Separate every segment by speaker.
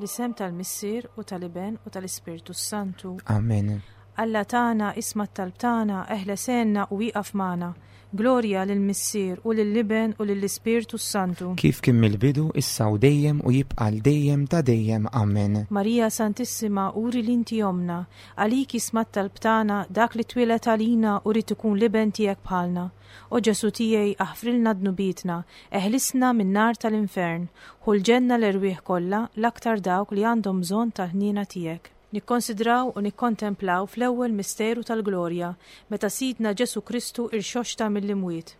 Speaker 1: Fl-isem tal-Missier u tal-Iben u tal-Ispirtu s-Santu.
Speaker 2: Amen.
Speaker 1: Alla tagħna, isma' t-talb tagħna, eħles għenna u ieqaf magħna. Glorja lill-Missier u lill-Iben u lill-Ispirtu s-Santu.
Speaker 2: Kif kien mill-bidu, issa u dejjem u jibqa' għal dejjem ta' dejjem. Amen.
Speaker 1: Marija Santissima, uri li inti ommna, għalik jisma' t-talb tagħna dak li twieled għalina u ried ikun l-Iben tiegħek bħalna. O Ġesù tiegħi, aħfrilna dnubietna, eħlisna min-nar tal-infern, ħu l-ġenna l-erwieħ kollha, l-aktar dawk li għandhom bżonn tal-ħniena tiegħek. Nikkonsidraw u nikkontemplaw fl-ewwel misteru tal-glorja, meta Sidna Ġesù Kristu irxoxta mill-imwiet.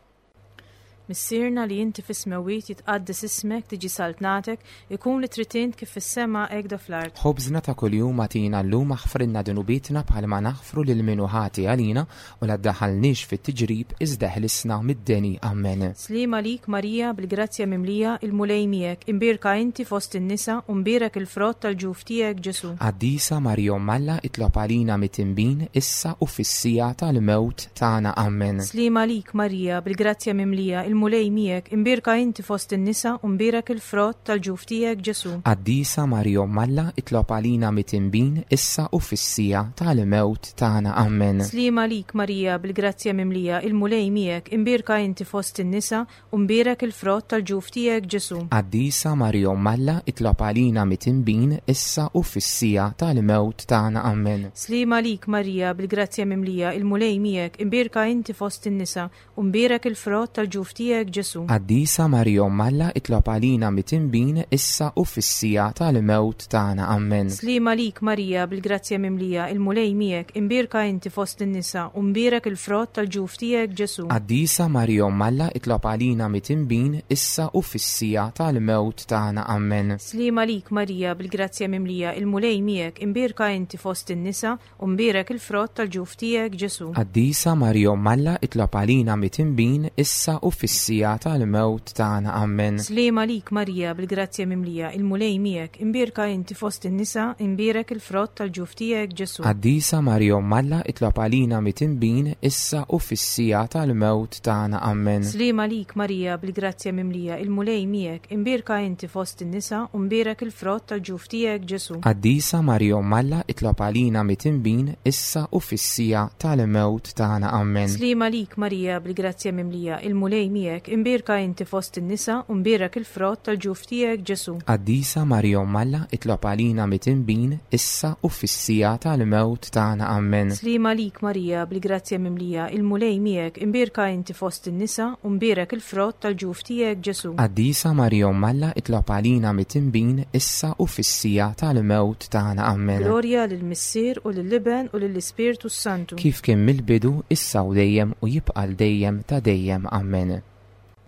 Speaker 1: Missierna li inti fis-smewwiet jitqaddes ismek, tiġi saltnatek, ikun li trid int kif fis-sema hekk da fl-art.
Speaker 2: Ħobżna ta' kuljum agħtina llum aħfrilna dnubietna bħalma naħfru lil min hu ħati għalina U la ddaħħalniex fit-tiġrib, iżda eħlisna mid-deni. Ammen.
Speaker 1: Sliem għalik, Marija, bil-grazzja mimlija, il-Mulej miegħek, imbierka inti fost in-nisa, u mbierek il-frott tal-ġuf tiegħek, Ġesù.
Speaker 2: Qaddisa Marija Omm Alla, itlob għalina mitinbin, issa u fis-siegħa tal-mewt tagħna. Ammen.
Speaker 1: Sliem għalik, Marija, bil-grazzja mimlija, il-Mulej miegħek, imbierka inti fost in-nisa, u mbierek il-frott tal-ġuf tiegħek, Ġesù.
Speaker 2: Qaddisa Marija Omm Alla, itlob għalina mitinbin, issa u fis-siegħa tal-mewt tagħna. Ammen.
Speaker 1: Sliem għalik, Marija, bil-grazzja mimlija, il-Mulej miegħek, imbierka inti fost in-nisa, u mbierek il-frott tal-ġuf tiegħek, Ġesù.
Speaker 2: Qaddisa Marija Omm Alla, itlob għalina mitinbin, issa u fis-siegħa tal-mewt tagħna. Ammen.
Speaker 1: Sliem għalik, Marija, bil-grazzja mimlija, il-Mulej miegħek, imbierka inti fost in-nisa, U mbierek il-frott tal-ġuf tiegħek, Ġesù.
Speaker 2: Qaddisa Marija Omm Alla itlob għalina mitinbin issa u fis-siegħa tal-mewt tagħna. Ammen.
Speaker 1: Sliem għalik Marija bil-grazzja mimlija, il-Mulej miegħek, imbierka inti fost in-nisa, u mbierek il-frott tal-ġuf tiegħek, Ġesù.
Speaker 2: Qaddisa Marija Omm Alla itlob għalina mitinbin issa u fis-siegħa tal-mewt tagħna. Ammen.
Speaker 1: Sliem għalik Marija bil-grazzja mimlija, il-Mulej miegħek, imbierka inti fost in-nisa, U mbierek il-frott tal-ġuf tiegħek, Ġesù.
Speaker 2: Qaddisa Marija Omm Alla itlob għalina mitinbin issa u fis-siegħa tal-mewt tagħna. Ammen.
Speaker 1: Sliem għalik Marija bil-grazzja mimlija, il-Mulej miegħek, imbierka inti fost in-nisa, imbierek il-frott tal-ġuf tiegħek, Ġesù.
Speaker 2: Qaddisa Marija Omm Alla itlob għalina mitinbin issa u fis-siegħa tal-mewt tagħna. Ammen.
Speaker 1: Sliem għalik Marija bil-grazzja mimlija, il-Mulej miegħek, imbierka inti fost in-nisa, u mbierek il-frott tal-ġuf tiegħek, Ġesù.
Speaker 2: Qaddisa Marija Omm Alla itlob għalina mitinbin issa u fis-siegħa tal-mewt tagħna. Ammen.
Speaker 1: Sliem għalik Marija bil-grazzja mimlija, il-Mulej miegħek, imbierka inti fost in-nisa u mbierek il-frott tal-ġuf tiegħek, Ġesù.
Speaker 2: Qaddisa Marija Omm Alla itlob għalina mitinbin issa u fis-siegħa tal-mewt tagħna. Ammen.
Speaker 1: Sliem għalik Marija bil-grazzja mimlija, il-Mulej miegħek, imbierka inti fost in-nisa u mbierek il-frott tal-ġuf tiegħek, Ġesù.
Speaker 2: Qaddisa Marija Omm Alla itlob għalina mitinbin issa u fis-siegħa tal-mewt tagħna. Ammen.
Speaker 1: Glorja lill-Missier u lill-Iben u lill-Ispirtu s-Santu.
Speaker 2: Kif kien mill-bidu, issa u dejjem u jibqa' għal dejjem ta' dejjem. Ammen.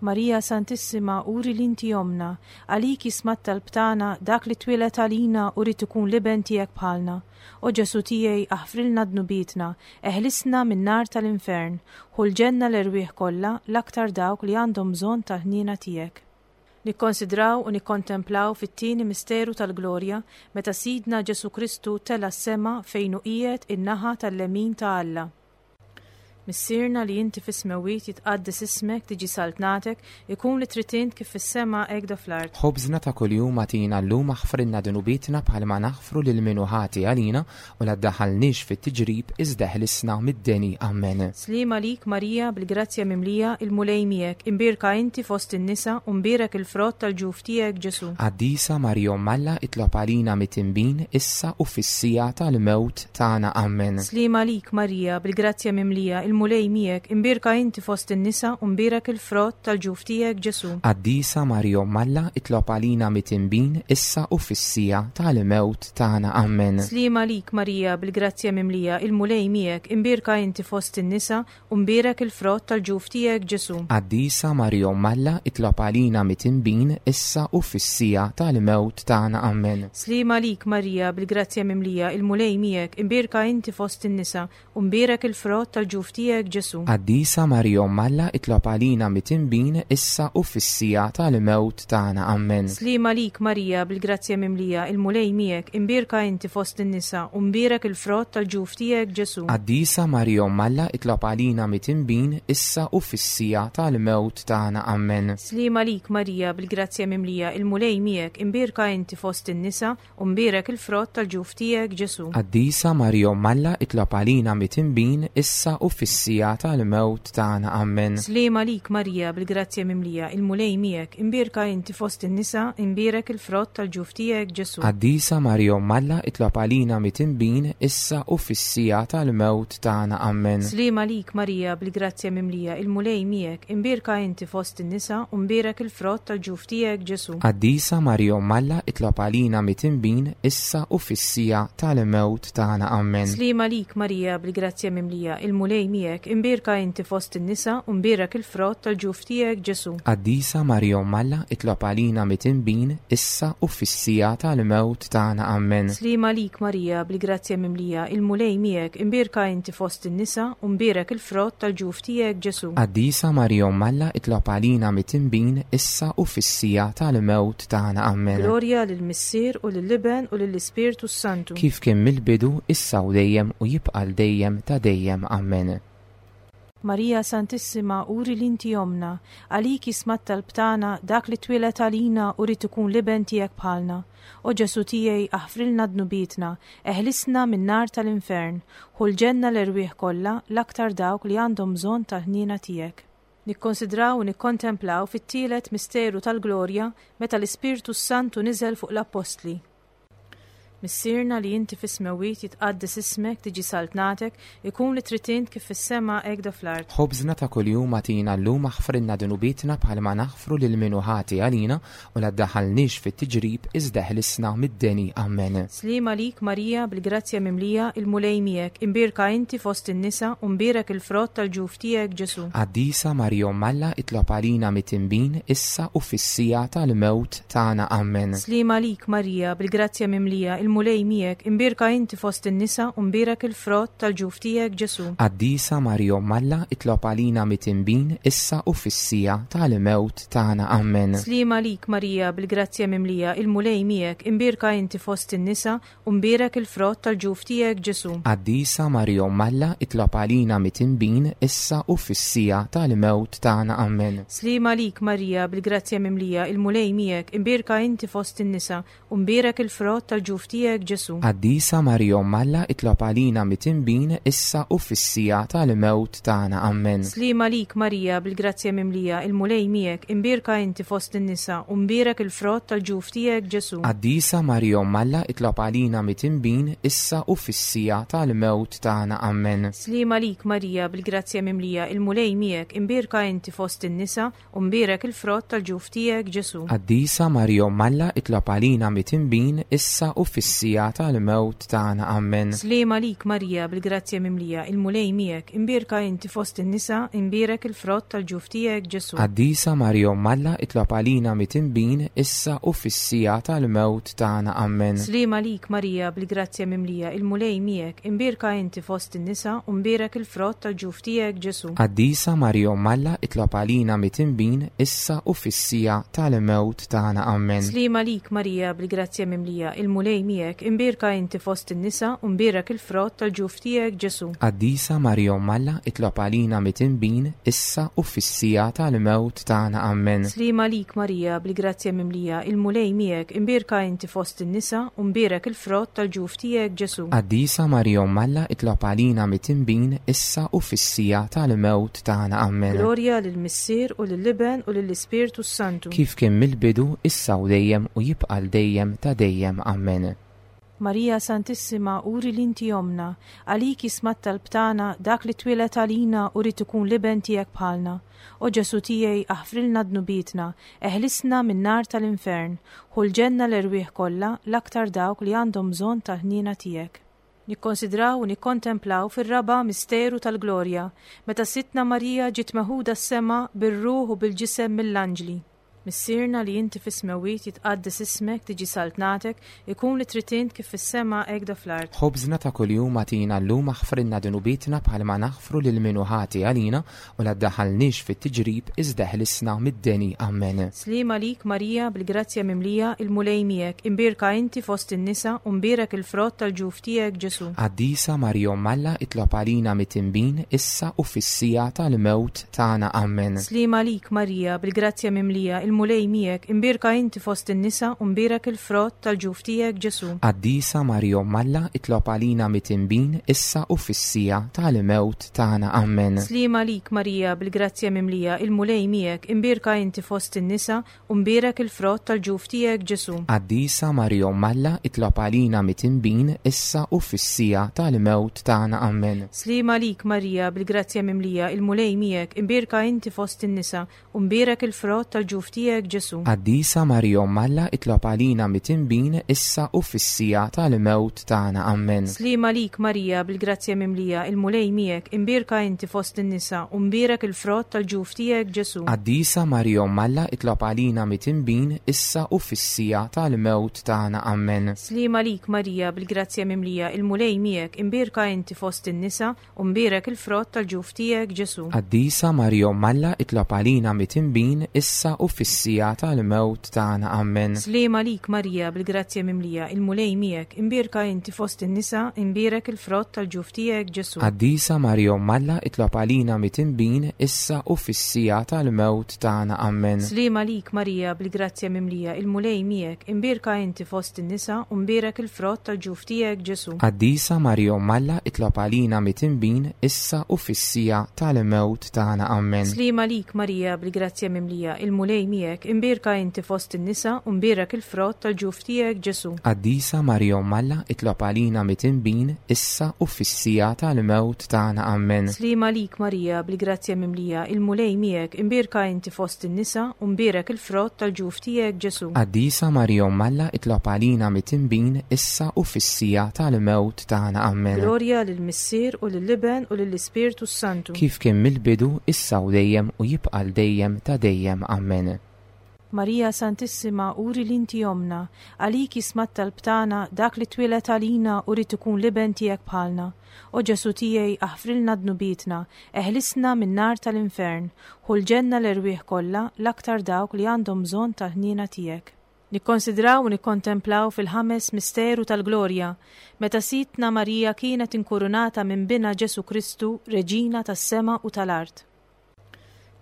Speaker 1: Marija Santissima uri li inti ommna, għalik jisma' t-talb tagħna dak li twieled għalina u ried ikun l-Iben tiegħek bħalna. O Ġesù tiegħi aħfrilna dnubietna, eħlisna min-nar tal-infern, ħu l-ġenna l-erwieħ kollha, l-aktar dawk li għandhom bżonn tal-ħniena tiegħek. Nikkonsidraw u nikkontemplaw fit-tieni misteru tal-glorja meta Sidna Ġesù Kristu tela' s-sema fejn hu qiegħed in-naħa tal-lemin ta' Alla. Missierna li inti fis-smewwiet jitqaddes ismek, tiġi saltnatek, ikun li trid int kif fis-sema hekk do fl-art.
Speaker 2: Ħobżna ta' kuljum agħtina llum aħfrilna dnubietna bħalma naħfru lil min hu ħati għalina u la ddaħħalniex fit-tiġrib iżda eħlisna mid-deni. Ammen.
Speaker 1: Sliem għalik Marija bil-grazzja mimlija, il-Mulej miegħek, imbierka inti fost in-nisa u mbierek il-frott tal-ġuf tiegħek Ġesù.
Speaker 2: Qaddisa Marija Omm Alla itlob għalina mitinbin issa u fis-siegħa tal-mewt tagħna. Ammen.
Speaker 1: Sliem għalik, Marija, bil-grazzja mimlija, il-Mulej miegħek, imbierka inti fost in-nisa u mbierek il-frott tal-ġuf tiegħek, Ġesù.
Speaker 2: Qaddisa Marija Omm Alla, itlob għalina mitinbin, issa u fis-siegħa tal-mewt tagħna. Ammen.
Speaker 1: Sliem għalik, Marija, bil-grazzja mimlija, il-Mulej miegħek, imbierka inti fost in-nisa u mbierek il-frott tal-ġuf tiegħek, Ġesù.
Speaker 2: Qaddisa Marija Omm Alla, itlob għalina mitinbin, issa u fis-siegħa tal-mewt tagħna. Ammen.
Speaker 1: Sliem għalik, Marija, bil-grazzja mimlija, il-Mulej miegħek, imbierka inti fost in-nisa, u mbierek il-frott tal-ġuf tiegħek, tiegħek Ġesù.
Speaker 2: Qaddisa Marija Omm Alla itlob għalina mitinbin issa u fis-siegħa tal-mewt tagħna. Ammen.
Speaker 1: Sliem għalik Marija bil-grazzja mimlija, il-Mulej miegħek, imbierka inti fost in-nisa u mbierek il-frott tal-ġuf tiegħek Ġesù.
Speaker 2: Qaddisa Marija Omm Alla itlob għalina mitinbin issa u fis-siegħa tal-mewt tagħna. Ammen.
Speaker 1: Sliem għalik Marija bil-grazzja mimlija, il-Mulej miegħek, imbierka inti fost in-nisa u mbierek il-frott tal-ġuf tiegħek Ġesù.
Speaker 2: Qaddisa Marija Omm Alla itlob għalina mitinbin issa u fis-siegħa tal-mewt tagħna. Ammen.
Speaker 1: Sliem għalik Marija bil-grazzja mimlija, il-Mulej miegħek, imbierka inti fost in-nisa, imbierek il-frott tal-ġuf tiegħek Ġesù.
Speaker 2: Qaddisa Marija Omm Alla itlob għalina mitinbin issa u fis-siegħa tal-mewt tagħna. Ammen.
Speaker 1: Sliem għalik Marija bil-grazzja mimlija, il-Mulej miegħek, imbierka inti fost in-nisa u mbierek il-frott tal-ġuf tiegħek Ġesù.
Speaker 2: Qaddisa Marija Omm Alla itlob għalina mitinbin issa u fis-siegħa tal-mewt tagħna. Ammen.
Speaker 1: Sliem għalik Marija bil-grazzja mimlija, il-Mulej miegħek, imbierka inti fost in-nisa u mbierek il-frott tal-ġuf tiegħek Ġesù.
Speaker 2: Qaddisa Marija Omm Alla itlob għalina mitinbin issa u fis-siegħa tal-mewt tagħna. Ammen.
Speaker 1: Sliem għalik Marija bil-grazzja mimlija, il-Mulej miegħek, imbierka inti fost in-nisa u mbierek il-frott tal-ġuf tiegħek Ġesù.
Speaker 2: Qaddisa Marija Omm Alla itlob għalina mitinbin issa u fis-siegħa tal-mewt tagħna. Ammen.
Speaker 1: Glorja lill-Missier u lill-Iben u lill-Ispirtu s-Santu.
Speaker 2: Kif kien mill-bidu, issa u dejjem u jibqa' 'l dejjem ta' dejjem. Ammen.
Speaker 1: Marija Santissima uri li inti ommna, għalik jisma' t-talb tagħna dak li twieled għalina u ried ikun l-Iben tiegħek bħalna. O Ġesù tiegħi aħfrilna dnubietna, eħlisna min-nar tal-infern, ħu l-ġenna l-erwieħ kollha, l-aktar dawk li għandhom bżonn tal-ħniena tiegħek. Nikkonsidraw u nikkontemplaw fit-tielet misteru tal-glorja meta l-Ispirtu s-Santu niżel fuq l-Appostli. Missierna li inti fis-smewwiet jitqaddes ismek, tiġi saltnatek, ikun li trid int kif fis-sema hekk do fl-art.
Speaker 2: Ħobżna ta' kuljum agħtina llum aħfrilna dnubietna bħalma naħfru lil min hu ħati għalina u la ddaħħalniex fit-tiġrib iżda eħlisna mid-deni. Ammen.
Speaker 1: Sliem għalik Marija bil-grazzja mimlija, il-Mulej miegħek, imbierka inti fost in-nisa u mbierek il-frott tal-ġuf tiegħek Ġesù.
Speaker 2: Qaddisa Marija Omm Alla itlob għalina mitinbin issa u fis-siegħa tal-mewt tagħna. Ammen.
Speaker 1: Sliem għalik Marija, bil-grazzja mimlija, il-Mulej miegħek, imbierka inti fost in-nisa u mbierek il-frott tal-ġuf tiegħek Ġesù.
Speaker 2: Qaddisa Marija Omm Alla itlob għalina mitinbin issa u fis-siegħa tal-mewt tagħna. Ammen.
Speaker 1: Sliem għalik Marija, bil-grazzja mimlija, il-Mulej miegħek, imbierka inti fost in-nisa u mbierek il-frott tal-ġuf tiegħek Ġesù.
Speaker 2: Qaddisa Marija Omm Alla itlob għalina mitinbin issa u fis-siegħa tal-mewt tagħna. Ammen.
Speaker 1: Sliem għalik Marija, bil-grazzja mimlija, il-Mulej miegħek, imbierka inti fost in-nisa, u mbierek il-frott tal-ġuf tiegħek Ġesù.
Speaker 2: Qaddisa Marija Omm Alla itlob għalina mitinbin issa u fis-siegħa tal-mewt tagħna. Ammen.
Speaker 1: Sliem għalik Marija, bil-grazzja mimlija, il-Mulej miegħek, imbierka inti fost in-nisa, u mbierek il-frott tal-ġuf tiegħek Ġesù.
Speaker 2: Qaddisa Marija Omm Alla itlob għalina mitinbin issa u fis-siegħa tal-mewt tagħna. Ammen.
Speaker 1: Sliem għalik Marija, bil-grazzja mimlija, il-Mulej miegħek, imbierka inti fost in-nisa, u mbierek il-frott tal-ġuf tiegħek Ġesù.
Speaker 2: Qaddisa Marija Omm Alla itlob għalina mitinbin issa u fis-siegħa tal-mewt tagħna. Ammen.
Speaker 1: Sliem għalik Marija, bil-grazzja mimlija, il-Mulej miegħek, imbierka inti fost in-nisa, imbierek il-frott tal-ġuf tiegħek Ġesù.
Speaker 2: Qaddisa Marija Omm Alla itlob għalina mitinbin issa u fis-siegħa tal-mewt tagħna. Ammen.
Speaker 1: Sliem għalik Marija, bil-grazzja mimlija, il-Mulej miegħek, imbierka inti fost in-nisa u mbierek il-frott tal-ġuf tiegħek Ġesù.
Speaker 2: Qaddisa Marija Omm Alla itlob għalina mitinbin issa u fis-siegħa tal-mewt tagħna. Ammen.
Speaker 1: Sliem għalik Marija, bil-grazzja mimlija, il-Mulej miegħek, imbierka inti fost in-nisa u mbierek il-frott tal-ġuf tiegħek Ġesù.
Speaker 2: Qaddisa Marija Omm Alla itlob għalina mitinbin issa u fis-siegħa tal-mewt tagħna. Ammen.
Speaker 1: Sliem għalik Marija, bil-grazzja mimlija, il-Mulej miegħek, imbierka inti fost in-nisa u mbierek il-frott tal-ġuf tiegħek Ġesù.
Speaker 2: Qaddisa Marija Omm Alla itlob għalina mitinbin issa u fis-siegħa tal-mewt tagħna. Ammen.
Speaker 1: Glorja lill-Missier u lill-Iben u lill-Ispirtu s-Santu.
Speaker 2: Kif kien mill-bidu, issa u dejjem u jibqa' 'l dejjem ta' dejjem. Ammen.
Speaker 1: Marija Santissima uri li inti ommna, għalik jisma' t-talb tagħna dak li twieled għalina u ried ikun l-Iben tiegħek bħalna. O Ġesù tiegħi aħfrilna dnubietna, eħlisna min-nar tal-infern, ħu l-ġenna l-erwieħ kollha, l-aktar dawk li għandhom bżonn tal-ħniena tiegħek. Nikkonsidraw u nikkontemplaw fir-raba' misteru tal-glorja, meta Sidtna Marija ġiet meħuda s-sema bir-ruħ u bil-ġisem mill-anġli. Missierna li inti fis-smewwiet jitqaddes ismek, tiġi saltnatek, ikun li trid int kif fis-sema hekk do fl-art.
Speaker 2: Ħobżna ta' kuljum agħtina llum aħfrilna dnubietna bħalma naħfru lil min hu ħati għalina u la ddaħħalniex fit-tiġrib iżda eħlisna mid-deni. Amen.
Speaker 1: Sliem għalik Marija bil-grazzja mimlija, il-Mulej miegħek, imbierka inti fost in-nisa u mbierek il-frott tal-ġuf tiegħek Ġesù.
Speaker 2: Qaddisa Marija Omm Alla itlob għalina mitinbin issa u fis-siegħa tal-mewt tagħna. Amen.
Speaker 1: Sliem għalik Marija, bil-grazzja mimlija, il-Mulej miegħek, imbierka inti fost in-nisa u mbierek il-frott tal-ġuf tiegħek Ġesù.
Speaker 2: Qaddisa Marija Omm Alla, itlob għalina mitinbin, issa u fis-siegħa tal-mewt tagħna. Amen.
Speaker 1: Sliem għalik Marija, bil-grazzja mimlija, il-Mulej miegħek, imbierka inti fost in-nisa u mbierek il-frott tal-ġuf tiegħek Ġesù.
Speaker 2: Qaddisa Marija Omm Alla, itlob għalina mitinbin, issa u fis-siegħa tal-mewt tagħna. Amen.
Speaker 1: Sliem għalik Marija, bil-grazzja mimlija, il-Mulej miegħek, imbierka inti fost in-nisa, u mbierek il-frott tal-ġuf tiegħek Ġesù.
Speaker 2: Qaddisa Marija Omm Alla, itlob għalina mitinbin, issa u fis-siegħa tal-mewt tagħna. Amen.
Speaker 1: Sliem għalik Marija, bil-grazzja mimlija, il-Mulej miegħek, imbierka inti fost in-nisa, u mbierek il-frott tal-ġuf tiegħek Ġesù.
Speaker 2: Qaddisa Marija Omm Alla, itlob għalina mitinbin, issa u fis-siegħa tal-mewt tagħna. Amen.
Speaker 1: Sliem għalik Marija, bil-grazzja mimlija, il-Mulej miegħek, imbierka inti fost in-nisa, u mbierek il-frott tal-ġuf tiegħek Ġesù.
Speaker 2: Qaddisa Marija Omm Alla, itlob għalina mitinbin, issa u fis-siegħa tal-mewt tagħna. Amen.
Speaker 1: Sliem għalik Marija, bil-grazzja mimlija, il-Mulej miegħek, imbierka inti fost in-nisa, imbierek il-frott tal-ġuf tiegħek Ġesù.
Speaker 2: Qaddisa Marija Omm Alla, itlob għalina mitinbin, issa u fis-siegħa tal-mewt tagħna. Amen.
Speaker 1: Sliem għalik Marija, bil-grazzja mimlija, il-Mulej miegħek, imbierka inti fost in-nisa, u mbierek il-frott tal-ġuf tiegħek Ġesù.
Speaker 2: Qaddisa Marija Omm Alla, itlob għalina mitinbin, issa u fis-siegħa tal-mewt tagħna. Amen.
Speaker 1: Sliem għalik Marija, bil-grazzja mimlija, il-Mulej miegħek, imbierka inti fost in-nisa, u mbierek il-frott tal-ġuf tiegħek Ġesù.
Speaker 2: Qaddisa Marija Omm Alla, itlob għalina mitinbin, issa u fis-siegħa tal-mewt tagħna. Amen.
Speaker 1: Sliem għalik Marija, bil-grazzja mimlija, il-Mulej miegħek, imbierka inti fost in-nisa, u mbierek il-frott tal-ġuf tiegħek Ġesù.
Speaker 2: Qaddisa Marija Omm Alla, itlob għalina mitinbin, issa u fis-siegħa tal-mewt tagħna. Amen.
Speaker 1: Glorja lill-Missier u lill-Iben u lill-Ispirtu s-Santu.
Speaker 2: Kif kien mill-bidu, issa u dejjem u jibqa' l dejjem ta' dejjem. Amen.
Speaker 1: Marija Santissima, uri li inti ommna, għalik jisma' t-talb tagħna, dak li twieled għalina u ried ikun l-Iben tiegħek bħalna. O Ġesù tiegħi, aħfrilna dnubietna, eħlisna min-nar tal-infern, ħu l-ġenna l-erwieħ kollha, l-aktar dawk li għandhom bżonn tal-ħniena tiegħek. Nikkonsidraw u nikkontemplaw fil-ħames misteru tal-glorja, meta Sidtna Marija kienet inkurunata minn Binha Ġesù Kristu Reġina tas-sema u tal-art.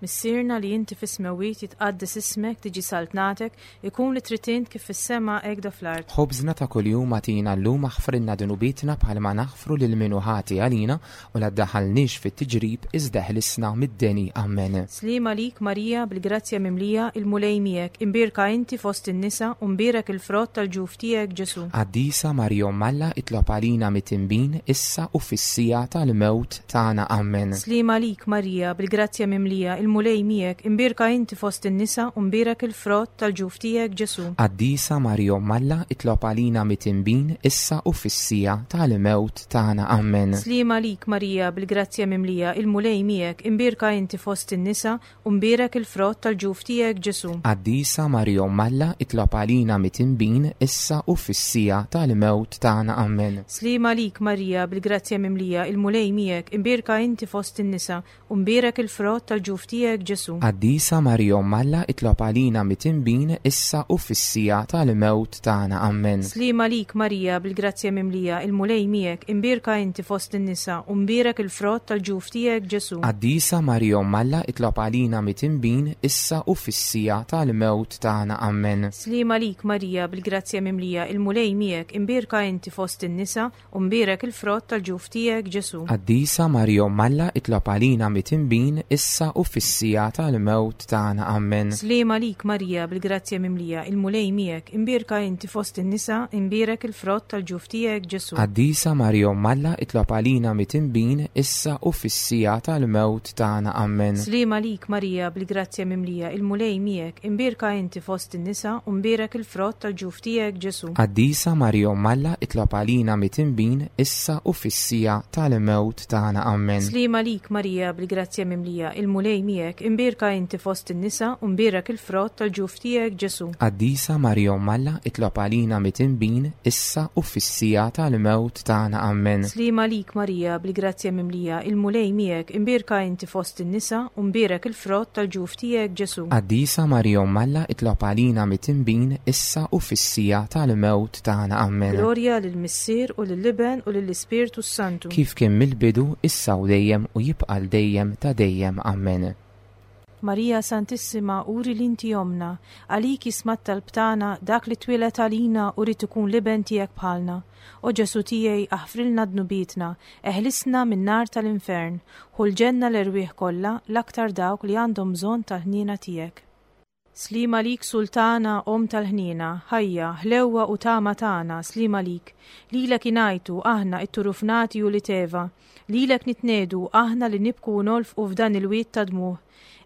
Speaker 1: Missierna li inti fis-smewwiet jitqaddes ismek, tiġi saltnatek, ikun li trid int kif fis-sema hekk do fl-art.
Speaker 2: Ħobżna ta' kuljum agħtina llum aħfrilna dnubietna bħalma naħfru lil min hu ħati għalina u la ddaħħalniex fit-tiġrib iżda eħlisna mid-deni. Amen.
Speaker 1: Sliem għalik Marija bil-grazzja mimlija, il-Mulej miegħek, imbierka inti fost in-nisa u mbierek il-frott tal-ġuf tiegħek Ġesù.
Speaker 2: Qaddisa Marija Omm Alla itlob għalina mitinbin issa u fis-siegħa tal-mewt tagħna. Amen.
Speaker 1: Sliem għalik Marija, bil-grazzja mimlija, il-Mulej miegħek, imbierka inti fost in-nisa u mbierek il-frott tal-ġuf tiegħek Ġesù.
Speaker 2: Qaddisa Marija Omm Alla, itlob għalina mitinbin, issa u fis-siegħa tal-mewt tagħna. Amen.
Speaker 1: Sliem għalik Marija, bil-grazzja mimlija, il-Mulej miegħek, imbierka inti fost in-nisa u mbierek il-frott tal-ġuf tiegħek Ġesù.
Speaker 2: Qaddisa Marija Omm Alla, itlob għalina mitinbin, issa u fis-siegħa tal-mewt tagħna. Amen.
Speaker 1: Sliem għalik Marija, bil-grazzja mimlija, il-Mulej miegħek, imbierka inti fost in-nisa u mbierek il-frott tal-ġuf tiegħek Ġesù.
Speaker 2: Qaddisa Marija Omm Alla, itlob għalina mitinbin, issa u fis-siegħa tal-mewt tagħna. Amen.
Speaker 1: Sliem għalik Marija, bil-grazzja mimlija, il-Mulej miegħek, imbierka inti fost in-nisa u mbierek il-frott tal-ġuf tiegħek Ġesù.
Speaker 2: Qaddisa Marija Omm Alla, itlob għalina mitinbin, issa u fis-siegħa tal-mewt tagħna. Amen.
Speaker 1: Sliem għalik Marija, bil-grazzja mimlija, il-Mulej miegħek, imbierka inti fost in-nisa u mbierek il-frott tal-ġuf tiegħek Ġesù.
Speaker 2: Qaddisa Marija Omm Alla, itlob għalina mitinbin, issa u fis-siegħa tal-mewt tagħna. Amen.
Speaker 1: Sliem għalik Marija, bil-grazzja mimlija, il-Mulej miegħek, imbierka inti fost in-nisa, imbierek il-frott tal-ġuf tiegħek Ġesù.
Speaker 2: Qaddisa Marija Omm Alla, itlob għalina mitinbin, issa u fis-siegħa tal-mewt tagħna. Amen.
Speaker 1: Sliem għalik Marija, bil-grazzja mimlija, il-Mulej miegħek, imbierka inti fost in-nisa u mbierek il-frott tal-ġuf tiegħek Ġesù.
Speaker 2: Qaddisa Marija Omm Alla, itlob għalina mitinbin, issa u fis-siegħa tal-mewt tagħna. Amen.
Speaker 1: Sliem għalik Marija, bil-grazzja mimlija, il-Mulej miegħek, miegħek, imbierka inti fost in-nisa u mbierek il-frott tal-ġuf tiegħek Ġesù.
Speaker 2: Qaddisa Marija Omm Alla, itlob għalina mitinbin, issa u fis-siegħa tal-mewt tagħna. Ammen.
Speaker 1: Sliem għalik Marija, bil-grazzja mimlija, il-Mulej miegħek, imbierka inti fost in-nisa u mbierek il-frott tal-ġuf tiegħek Ġesù.
Speaker 2: Qaddisa Marija Omm Alla, itlob għalina mitinbin, issa u fis-siegħa tal-mewt tagħna. Ammen.
Speaker 1: Glorja lill-Missier u lill-Iben u lill-Ispirtu s-Santu.
Speaker 2: Kif kien mill-bidu, issa u dejjem u jibqa' għal dejjem ta' dejjem. Ammen.
Speaker 1: Marija Santissima, uri li inti ommna, għalik jisma' t-talb tagħna dak li twieled għalina u ried ikun l-Iben tiegħek bħalna. O Ġesù tiegħi, aħfrilna dnubietna, eħlisna min-nar tal-infern, ħu l-ġenna l-erwieħ kollha, l-aktar dawk li għandhom bżonn tal-ħniena tiegħek. Sliem għalik Sultana, Omm tal-ħniena, ħajja, ħlewwa u tama tagħna, sliem għalik. Lilek ingħajtu, aħna, it-turufnati ulied Eva. Lilek nitniegħdu, aħna li nibku u nolfqu f'dan il-wied ta' dmugħ.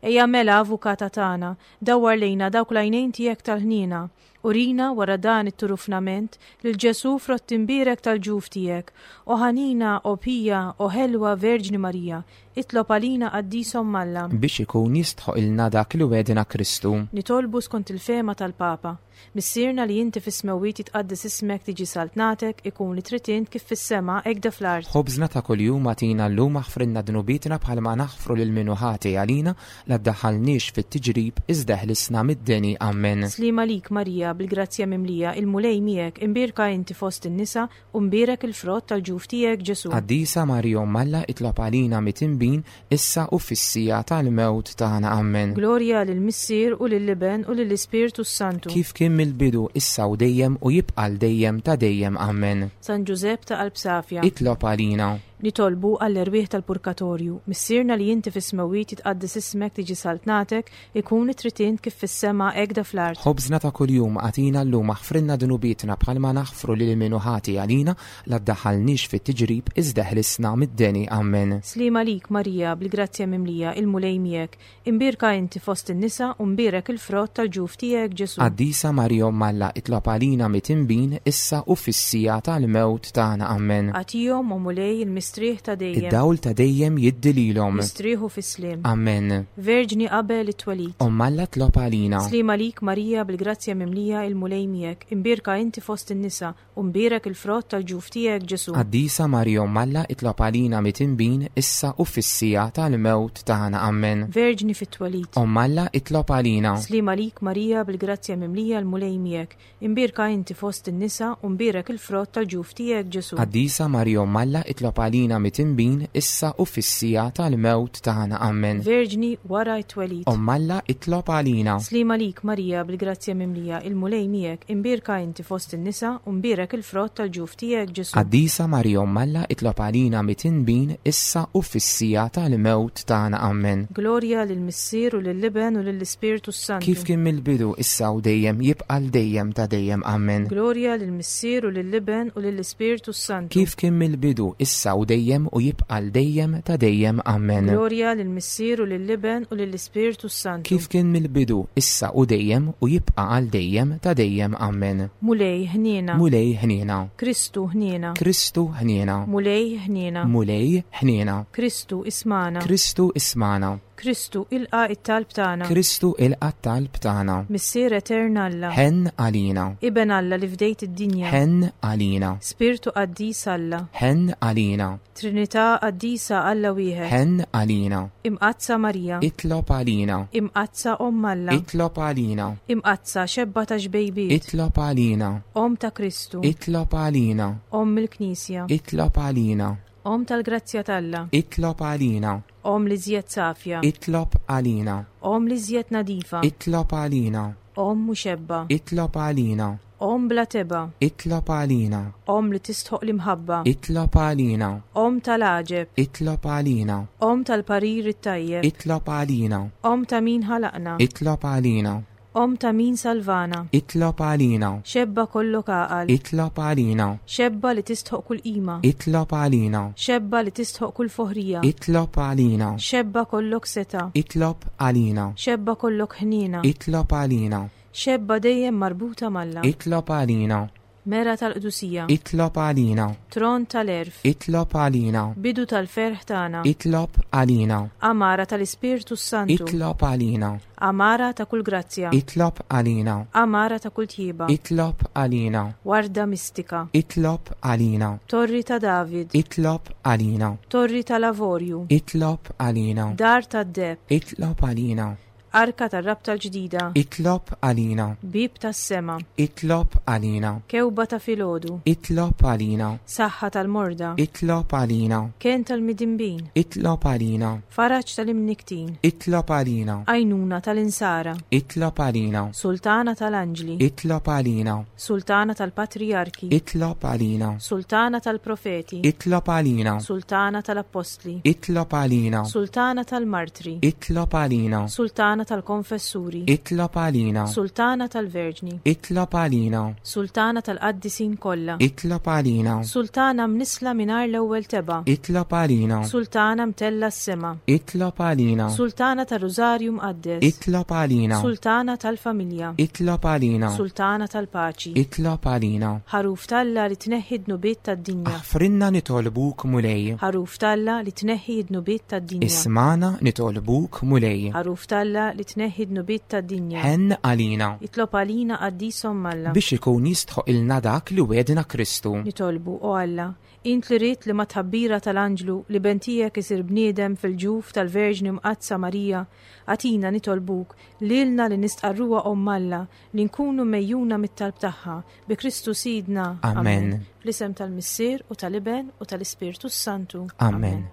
Speaker 1: Ejja mela, Avukata tagħna, dawwar lejna dawk l-għajnejn tiegħek tal-ħniena. Urina, wara dan it-turufnament, lil Ġesù frott imbierek tal-ġuf tiegħek. O ħanina, o pija, o ħelwa Verġni Marija, itlob għalina Qaddis Omm Alla.
Speaker 2: Biex ikun jistħoqilna dak li wegħdna Kristu.
Speaker 1: Nitolbu skont il-fehma tal-Papa. Missierna li inti fis-smewwiet jitqaddes ismek tiġi saltnatek, ikun li trid int kif fis-sema hekk fl-art.
Speaker 2: Ħobżna ta' kuljum agħtina llum aħfrilna dnubietna bħalma naħfru lil min hu ħati għalina, La ddaħħalniex fit-tiġrib, iżda eħlisna mid-deni. Ammen.
Speaker 1: Sliem għalik, Marija, bil-grazzja mimlija, il-Mulej miegħek, imbierka inti fost in-nisa, u mbierek il-frott tal-ġuf tiegħek, Ġesù.
Speaker 2: Qaddisa Marija Omm Alla, itlob għalina mitinbin, issa u fis-siegħa tal-mewt tagħna. Ammen.
Speaker 1: Glorja lill-Missier u lill-Iben u lill-Ispirtu s-Santu.
Speaker 2: Kif kien mill-bidu, issa u dejjem u jibqa' għal dejjem ta' dejjem. Ammen.
Speaker 1: San Ġużepp ta' qalb safja.
Speaker 2: Itlob għalina.
Speaker 1: Nitolbu għall-erwieħ tal-purkatorju. Missierna li inti fis-smewwiet jitqaddes ismek tiġi saltnatek, ikun li trid int kif fis-sema hekk da fl-art.
Speaker 2: Ħobżna ta' kuljum agħtina llum aħfrilna dnubietna bħalma naħfru lil min hu ħati għalina, la ddaħħalniex fit-tiġrib iżda eħlisna mid-deni. Ammen.
Speaker 1: Sliem għalik Marija, bil-grazzja mimlija, il-Mulej miegħek. Imbierka inti fost in-nisa u mbierek il-frott tal-ġuf tiegħek, Ġesù.
Speaker 2: Qaddisa Marija Omm Alla, itlob għalina mitinbin, issa u fis-siegħa tal-mewt tagħna. Ammen.
Speaker 1: Agħtihom, o Mulej, il-mistrieħ ta' dejjem.
Speaker 2: Id-dawl ta' dejjem jiddi lilhom.
Speaker 1: Jistrieħu fis-sliem.
Speaker 2: Ammen.
Speaker 1: Verġni qabel it-twelid.
Speaker 2: Omm Alla tlob għalina.
Speaker 1: Sliem għalik Marija bil-grazzja mimlija, il-Mulej miegħek. Imbierka inti fost in-nisa U mbierek il-frott tal-ġuf tiegħek, Ġesù.
Speaker 2: Qaddisa Marija Omm Alla, itlob għalina mitinbin, issa u fis-siegħa tal-mewt tagħna. Ammen.
Speaker 1: Verġni fit-twelid.
Speaker 2: Omm Alla, itlob għalina.
Speaker 1: Sliem għalik Marija, bil-grazzja mimlija, l-Mulej miegħek. Imbierka inti fost in-nisa, u mbierek il-frott tal-ġuf tiegħek, Ġesù.
Speaker 2: Qaddisa Marija Omm Alla, itlob għalina mitinbin, issa u fis-siegħa tal-mewt tagħna. Ammen.
Speaker 1: Verġni wara t-twelid.
Speaker 2: Omm Alla, itlob għalina.
Speaker 1: Sliem għalik Marija, bil-grazzja mimlija, il-Mulej miegħek, imbierka inti fost in-nisa, u mbierek il-frott tal-ġuf tiegħek, Ġesù.
Speaker 2: Qaddisa Marija Omm Alla, itlob għalina mitinbin, issa u fis-siegħa tal-mewt tagħna. Ammen.
Speaker 1: Glorja lill-Missier u lill-Iben u lill-Ispirtu s-Santu.
Speaker 2: Kif kien mill-bidu, issa u dejjem, jibqa' għal dejjem ta' dejjem. Ammen.
Speaker 1: Glorja lill-Missier u lill-Iben u lill-Ispirtu s-Santu.
Speaker 2: Kif kien mill-bidu, issa u dejjem, u jibqa' għal dejjem ta' dejjem. Ammen.
Speaker 1: Glorja lill-Missier u lill-Iben u lill-Ispirtu s-Santu.
Speaker 2: Kif kien mill-bidu, issa u dejjem, u jibqa' għal dejjem ta' dejjem. Ammen.
Speaker 1: Mulej, ħniena.
Speaker 2: Mulej, ħniena.
Speaker 1: Kristu, ħniena.
Speaker 2: Kristu, ħniena.
Speaker 1: Mulej, ħniena.
Speaker 2: Mulej, ħniena.
Speaker 1: Kristu, ismagħna.
Speaker 2: Kristu, ismagħna.
Speaker 1: Kristu, ilqa' t-talb tagħna.
Speaker 2: Kristu, ilqa' t-talb tagħna.
Speaker 1: Missier etern Alla.
Speaker 2: Ħenn għalina.
Speaker 1: Iben Alla li fdejt id-dinja.
Speaker 2: Ħenn għalina.
Speaker 1: Spirtu qaddis Alla.
Speaker 2: Ħenn għalina.
Speaker 1: Trinità Qaddisa Alla wieħed.
Speaker 2: Ħenn għalina.
Speaker 1: Imqaddsa Marija.
Speaker 2: Itlob għalina.
Speaker 1: Imqaddsa Omm Alla.
Speaker 2: Itlob għalina.
Speaker 1: Imqaddsa Xebba ta' xbejbiet.
Speaker 2: Itlob għalina.
Speaker 1: Omm ta' Kristu.
Speaker 2: Itlob għalina.
Speaker 1: Omm il-Knisja.
Speaker 2: Itlob għalina.
Speaker 1: Omm tal-grazzja t'Alla.
Speaker 2: Itlob għalina.
Speaker 1: Omm l-iżjed safja.
Speaker 2: Itlob għalina.
Speaker 1: Omm l-iżjed nadifa.
Speaker 2: Itlob għalina.
Speaker 1: Omm mxebba.
Speaker 2: Itlob għalina.
Speaker 1: Omm bla tebgħa.
Speaker 2: Itlob għalina.
Speaker 1: Omm li tistħoq l-imħabba.
Speaker 2: Itlob għalina.
Speaker 1: Omm tal-għaġeb.
Speaker 2: Itlob għalina.
Speaker 1: Omm tal-parir it-tajjeb.
Speaker 2: Itlob għalina.
Speaker 1: Omm ta' min ħalaqna.
Speaker 2: Itlob għalina.
Speaker 1: Omm ta' min salvana.
Speaker 2: Itlob għalina.
Speaker 1: Xebba kollok għaqal.
Speaker 2: Itlob għalina.
Speaker 1: Xebba li tistħoq kull qima.
Speaker 2: Itlob għalina.
Speaker 1: Xebba li tistħoq kull foħrija.
Speaker 2: Itlob għalina.
Speaker 1: Xebba kollok setgħa.
Speaker 2: Itlob għalina.
Speaker 1: Xebba kollok ħniena.
Speaker 2: Itlob għalina.
Speaker 1: Xebba dejjem marbuta m'Alla.
Speaker 2: Itlob għalina.
Speaker 1: Mera tal-qdusija.
Speaker 2: Itlob għalina.
Speaker 1: Tron tal-għerf.
Speaker 2: Itlob għalina.
Speaker 1: Bidu tal-ferħ tagħna.
Speaker 2: Itlob għalina.
Speaker 1: Għamara tal-Ispirtu s-Santu.
Speaker 2: Itlob għalina.
Speaker 1: Għamara ta' kull grazzja.
Speaker 2: Itlob għalina.
Speaker 1: Għamara ta' kull tjieba.
Speaker 2: Itlob għalina.
Speaker 1: Warda mistika.
Speaker 2: Itlob għalina.
Speaker 1: Torri ta' David.
Speaker 2: Itlob għalina.
Speaker 1: Torri tal-avorju.
Speaker 2: Itlob għalina.
Speaker 1: Dar tad-deheb.
Speaker 2: Itlob għalina.
Speaker 1: Arka tar-Rabta l-Ġdida.
Speaker 2: Itlob għalina.
Speaker 1: Bieb tas-sema.
Speaker 2: Itlob għalina.
Speaker 1: Kewba ta' filgħodu.
Speaker 2: Itlob għalina.
Speaker 1: Saħħa tal-morda.
Speaker 2: Itlob għalina.
Speaker 1: Kenn tal-midinbin.
Speaker 2: Itlob għalina.
Speaker 1: Faraġ tal-imnikktin.
Speaker 2: Itlob għalina.
Speaker 1: Għajnuna tal-insara.
Speaker 2: Itlob għalina.
Speaker 1: Sultana tal-anġli.
Speaker 2: Itlob għalina.
Speaker 1: Sultana tal-patrijarki.
Speaker 2: Itlob għalina.
Speaker 1: Sultana tal-profeti.
Speaker 2: Itlob għalina.
Speaker 1: Sultana tal-appostli.
Speaker 2: Itlob għalina.
Speaker 1: Sultana tal-martri.
Speaker 2: Itlob għalina.
Speaker 1: Sultana tal-konfessuri.
Speaker 2: Itlob għalina.
Speaker 1: Sultana tal-verġni.
Speaker 2: Itlob għalina.
Speaker 1: Sultana tal-qaddisin kollha.
Speaker 2: Itlob għalina.
Speaker 1: Sultana mnissla mingħajr l-ewwel tebgħa.
Speaker 2: Itlob għalina.
Speaker 1: Sultana mtellgħa s-sema.
Speaker 2: Itlob għalina.
Speaker 1: Sultana tar-Rużarju Mqaddes.
Speaker 2: Itlob għalina.
Speaker 1: Sultana tal-familja.
Speaker 2: Itlob għalina.
Speaker 1: Sultana tal-paċi.
Speaker 2: Itlob għalina.
Speaker 1: Ħaruf t'Alla li tneħħi d-dnubiet tad-dinja.
Speaker 2: Aħfrilna nitolbuk Mulej.
Speaker 1: Ħaruf t'Alla li tneħħi d-dnubiet tad-dinja.
Speaker 2: Ismagħna nitolbuk Mulej.
Speaker 1: Ħaruf t'Alla li tneħħi d-dnubiet tad-dinja.
Speaker 2: Ħenn għalina.
Speaker 1: Itlob għalina qaddis Omm Alla.
Speaker 2: Biex ikun jistħoqilna dak li wegħedna Kristu.
Speaker 1: Nitolbu, O Alla, int li ridt li mat-tħabbira tal-anġlu l-Iben tiegħek isir bniedem fil-ġuf tal-Verġni Mqaddsa Marija, agħtina nitolbuk, lilna li nistqarruha Omm Alla, li nkunu megħjuna mit-talb tagħha, bi Kristu Sidna.
Speaker 2: Amen.
Speaker 1: Fl-isem tal-Missier u tal-Iben u tal-Ispirtu s-Santu.
Speaker 2: Amen.